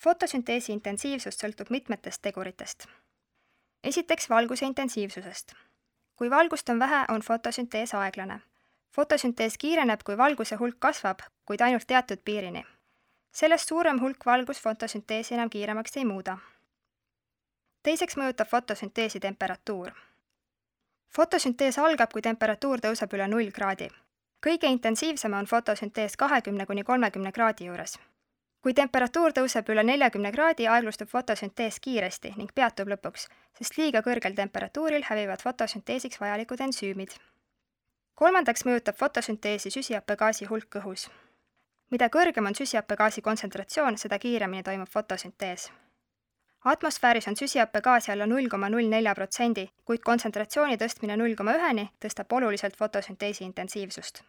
Fotosünteesi intensiivsus sõltub mitmetest teguritest. Esiteks valguse intensiivsusest. Kui valgust on vähe, on fotosüntees aeglane. Fotosüntees kiireneb, kui valguse hulk kasvab, kuid ainult teatud piirini. Sellest suurem hulk valgust fotosünteesi enam kiiremaks ei muuda. Teiseks mõjutab fotosünteesi temperatuur. Fotosüntees algab, kui temperatuur tõuseb üle 0 kraadi. Kõige intensiivsem on fotosüntees 20–30 kraadi juures. Kui temperatuur tõuseb üle 40 kraadi, aeglustub fotosüntees kiiresti ning peatub lõpuks, sest liiga kõrgel temperatuuril hävivad fotosünteesiks vajalikud ensüümid. Kolmandaks mõjutab fotosünteesi süsihappegaasi hulk õhus. Mida kõrgem on süsihappegaasi kontsentratsioon, seda kiiremini toimub fotosüntees. Atmosfääris on süsihappegaasi alla 0,04%, kuid kontsentratsiooni tõstmine 0,1-ni tõstab oluliselt fotosünteesi intensiivsust.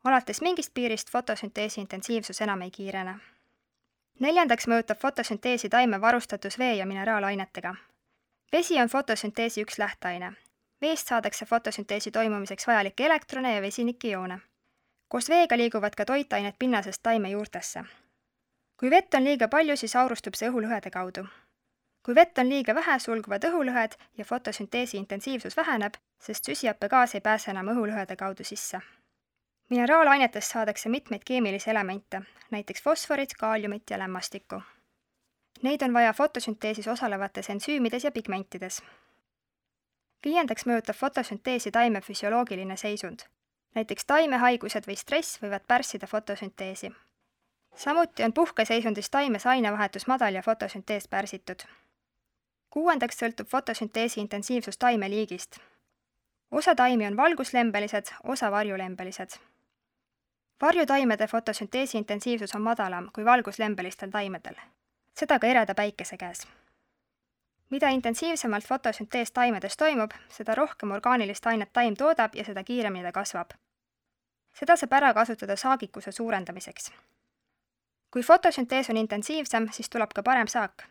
Alates mingist piirist fotosünteesi intensiivsus enam ei kiirene. Neljandaks mõjutab fotosünteesi taime varustatus vee- ja mineraalainetega. Vesi on fotosünteesi üks lähteaine. Veest saadakse fotosünteesi toimumiseks vajalikke elektrone ja vesinikiioone. Koos veega liiguvad ka toitained pinnasest taime juurtesse. Kui vett on liiga palju, siis aurustub see õhulõhede kaudu. Kui vett on liiga vähe, sulguvad õhulõhed ja fotosünteesi intensiivsus väheneb, sest süsihappegaas ei pääse enam õhulõhede kaudu sisse. Mineraalainetest saadakse mitmeid keemilisi elemente, näiteks fosforit, kaaliumit ja lämmastikku. Neid on vaja fotosünteesis osalevates ensüümides ja pigmentides. Viiendaks mõjutab fotosünteesi taime füsioloogiline seisund. Näiteks taimehaigused või stress võivad pärssida fotosünteesi. Samuti on puhkeseisundis taimes ainevahetus madal ja fotosüntees pärsitud. Kuuendaks sõltub fotosünteesi intensiivsus taime liigist. Osa taimi on valguslembelised, osa varjulembelised. Varjutaimede fotosünteesi intensiivsus on madalam kui valguslembelistel taimedel. Seda ka ereda päikese käes. Mida intensiivsemalt fotosüntees taimedes toimub, seda rohkem orgaanilist ainet taim toodab ja seda kiiremini ta kasvab. Seda saab ära kasutada saagikuse suurendamiseks. Kui fotosüntees on intensiivsem, siis tuleb ka parem saak.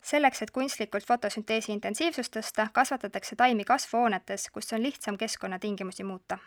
Selleks, et kunstlikult fotosünteesi intensiivsust tõsta, kasvatatakse taimi kasvuhoonetes, kus on lihtsam keskkonnatingimusi muuta.